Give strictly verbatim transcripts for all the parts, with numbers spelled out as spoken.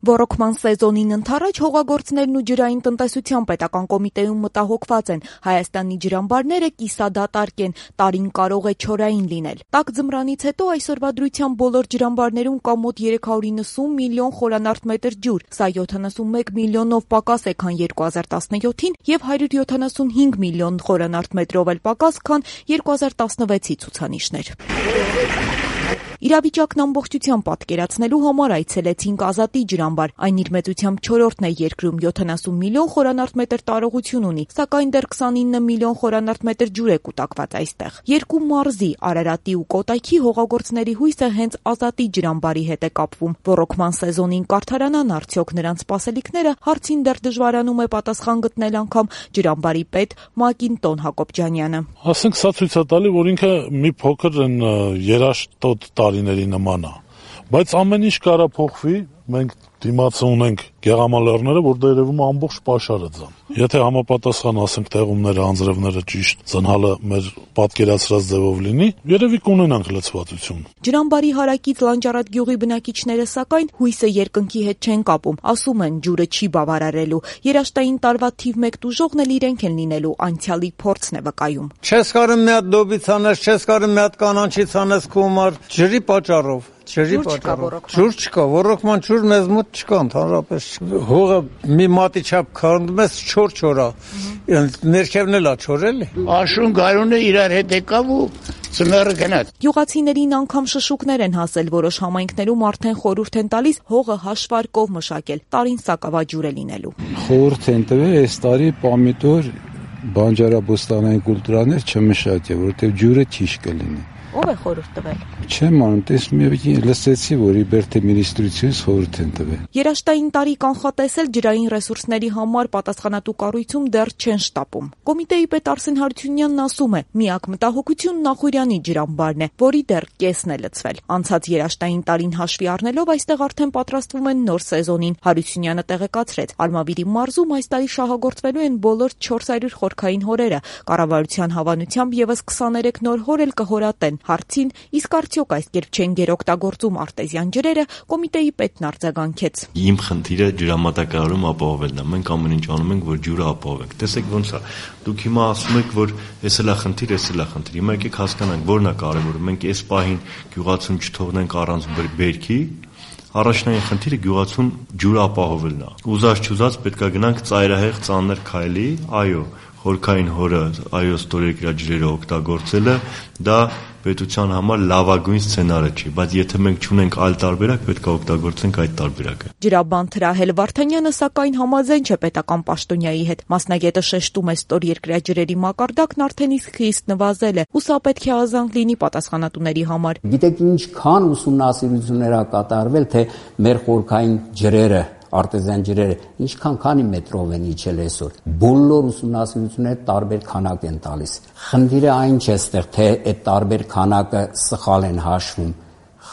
Ոռոգման սեզոնին ընթառաջ հողագործներն ու ջրային տնտեսության պետական կոմիտեում մտահոգված են. Հայաստանի ջրամբարները կիսադատարկ են, տարին կարող է չորային լինել։ Տաք ձմռանից հետո այսօրվա դրությամբ բոլոր ջրամբարներում կա մոտ երեք հարյուր իննսուն միլիոն խորանարդ մետր ջուր, սա յոթանասունմեկ միլիոնով պակաս է, քան երկու հազար տասնյոթին եւ հարյուր յոթանասունհինգ միլիոն խորանարդ մետրով էլ պակաս, քան երկու հազար տասնվեցի ցուցանիշներ։ Իրավիճակն ամբողջությամբ պատկերացնելու համար այցելեցինք Ազատի ջրամբար։ Այն իր մեծությամբ չորրորդն է երկրում, յոթանասուն միլիոն խորանարդ մետր տարողություն ունի, սակայն դեռ քսանինը միլիոն խորանարդ մետր ջուր է կուտակված այստեղ։ Երկու մարզի՝ Արարատի ու Կոտայքի հողագործների հույսը հենց Ազատի ջրամբարի հետ է կապվում։ Ոռոգման սեզոնին կարդարանան արդյոք նրանց սպասելիքները, հարցին դեռ դժվարանում է պատասխան գտնել անգամ ջրամբարի պետ Մակինտոն Հակոբյանյանը։ Ասենք սա ցույց է տալի, որ ինքը մի փոքր են երաշտոտ տարիների նման է, բայց ամեն ինչ կարա փոխվի, մենք դիմացը ունենք գեղամալերները, որ դա երևում է ամբողջ պաշարը ձան։ Եթե համապատասխան ասենք տեղումները, անձրևները ճիշտ ծնհալը մեր պատկերացրած ձևով լինի, երևի կունենանք լցվածություն։ Ջրամբարի հարակից Լանջարատ գյուղի բնակիչները սակայն հույսը երկնքի հետ չեն կապում, ասում են ջուրը չի բավարարելու։ Երաշտային տարվա թիվ մեկ տուժողն էլ իրենք են լինելու, անցյալի փորձն է վկայում։ Չես կարում մի հատ դոբից անես, չես կարում մի հատ կանանչից անես քո համար ջրի պատճառով։ Ջրի պատճառով։ Ջուր չկա, ոռոգման ջուր մեզ մոտ չկա ընդհանրապես։ Հողը մի մատի չափ քանդում ես չոր-չորա։ Ներքևն էլ է չոր էլի։ Աշուն գարունը իրար հետ եկավ ու ծմերը գնաց։ Գյուղացիներին անգամ շշուկներ են հասել, որոշ համայնքներում արդեն խորհուրդ են տալիս հողը հաշվարկով մշակել, տարին սակավաջուր է լինելու։ Խորհուրդ են տվել այս տարի պամիդոր բանջարաբոստանային կուլտուրաներ չմշակել, որովհետև ջուրը ճիշտ կլինի։ Ո՞վ է խորհուրդ տվել։ Չեմ անում, տեսնում եմ լսեցի, որ իբերթե մինիստրությունից խորհուրդ են տվել։ Երաշտային տարի կանխատեսել ջրային ռեսուրսների համար պատասխանատու կառույցում դեռ չեն շտապում։ Կոմիտեի պետ Արսեն Հարությունյանն ասում է, միակ մտահոգությունն Նախուրյանի ջրամբարն է, որի դեռ կեսն է լցվել։ Անցած երաշտային տարին հաշվի առնելով այստեղ արդեն պատրաստվում են նոր սեզոնին։ Հարությունյանը տեղեկացրեց, Արմավիրի մարզում այս տարի շահագործվելու են բոլոր չորս հարյուր խորքային հորերը։ Կառավարության հավանությամբ եւս քսաներեք նոր հոր էլ կհորատեն։ Հարցին, իսկ արդյոք այս կերպ չեն գերօգտագործում արտեզյան ջրերը, կոմիտեի պետն արձագանքեց։ Իմ խնդիրը ջրամատակարարում ապահովելն է։ Մենք ամեն ինչ անում ենք, որ ջուրը ապահովենք։ Տեսեք ոնց է։ Դուք հիմա ասում եք, որ էս էլ է խնդիր, էս էլ է խնդիր։ Հիմա եկեք հասկանանք, որն է կարևորը։ Մենք այս պահին գյուղացուն չթողնենք առանց բերքի։ Առաջնային խնդիրը գյուղացուն ջուրը ապահովելն է։ Ուզած չուզած պետք է գնանք ծայրահեղ ծանր քայլի, այո, խորքային հորը, այո, ստորերկրյա ջրերը օգտագործելը դա պետության համար լավագույն սցենարը չի, բայց եթե մենք չունենք այլ տարբերակ, պետք է օգտագործենք այդ տարբերակը։ Ջրաբան Թրահել Վարդանյանը սակայն համաձայն չէ պետական պաշտոնյայի հետ։ Մասնագետը շեշտում է ստորերկրյա ջրերի մակարդակն արդեն իսկ խիստ նվազել է, ու սա պետք է ազանք լինի պատասխանատուների համար։ Գիտեք ինչքան ուսումնասիրություններ ա կատարվել, թե մեր խորքային ջրերը արտեզյան ջրերը ինչքան քանի մետրով են իջել այսօր։ Բոլոր ուսումնասիրությունները տարբեր քանակ են տալիս։ Խնդիրը այն չէ ստեղ, թե այդ տարբեր քանակը սխալ են հաշվում։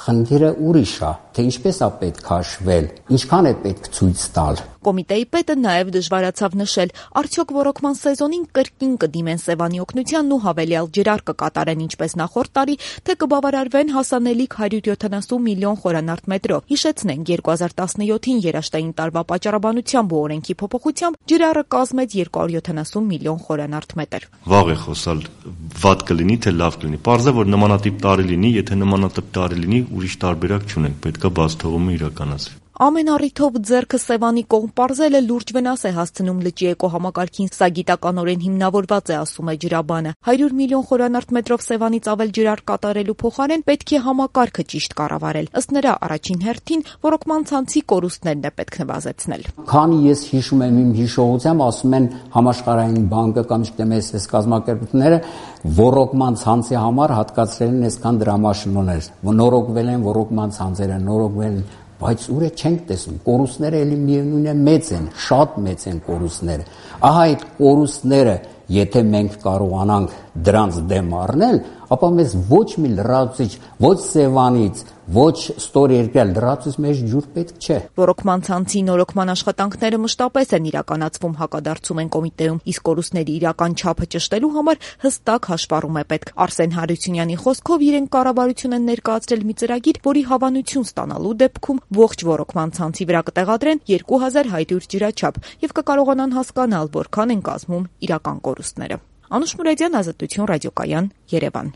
Խնդիրը ուրիշ է, թե ինչպես է պետք հաշվել, ինչքան է պետք ցույց տալ։ Կոմիտեի պետը նաև դժվարացավ նշել, արդյոք ոռոգման սեզոնին կրկին կդիմեն Սևանի օգնությանն ու հավելյալ ջրար կկատարեն ինչպես նախորդ տարի, թե կբավարարվեն հասանելիք հարյուր յոթանասուն միլիոն խորանարդ մետրով։ Հիշեցնենք, երկու հազար տասնյոթին երաշտային տարվա պատճառաբանությամբ ու օրենքի փոփոխությամբ ջրարը կազմեց երկու հարյուր յոթանասուն միլիոն խորանարդ մետր։ Վաղ է խոսալ, վատ կլինի, թե լավ կլինի։ Պարզ է, որ նմանատիպ տարի լինի, եթե նմանատիպ տարի լինի, ուրիշ տարբերակ չունենք, պետք է բաց թողումը իրականացվի։ Ամեն առիթով ձեռքը Սևանի կողմ պարզելը լուրջ վնաս է հասցնում լճի էկոհամակարգին, սա գիտականորեն հիմնավորված է, ասում է ջրաբանը։ հարյուր միլիոն խորանարդ մետրով Սևանից ավել ջրար կատարելու փոխարեն պետք է համակարգը ճիշտ կառավարել։ Ըստ նրա, առաջին հերթին ոռոգման ցանցի կորուստներն է պետք նվազեցնել։ Քանի ես հիշում եմ իմ հիշողությամբ, ասում են Համաշխարհային բանկը կամ չգիտեմ այս կազմակերպությունները ոռոգման ցանցի համար հատկացրել են այսքան դրամաշնորհներ, նորոգվել են ոռոգման ցանցերը, նորոգվել են, բայց ուր է չենք տեսնում, կորուստները էլի միևնույն է մեծ են, շատ մեծ են կորուստները։ Ահա այդ կորուստները, եթե մենք կարողանանք դրանց դեմ առնել, ապա մեզ ոչ մի լրացուցիչ, ոչ Սևանից, ոչ ստորերկրյալ լրացուցիչ մեջ ջուր պետք չէ։ Ռոռոկման ցանցի նորոգման աշխատանքները մշտապես են իրականացվում, հակադարձում են կոմիտեում, իսկ կորուստների իրական չափը ճշտելու համար հստակ հաշվառում է պետք։ Արսեն Հարությունյանի խոսքով իրենք կառավարություն են ներկայացրել մի ծրագիր, որի հավանություն ստանալու դեպքում ողջ ռոռոկման ցանցի վրա կտեղադրեն երկու հազար հայտույր ջրաչափ եւ կկարողանան հասկանալ, որքան են կազմում իրական կորուստները։ Անուշ Մուրադյան, Ազատություն ռադիոկայան, Երևան։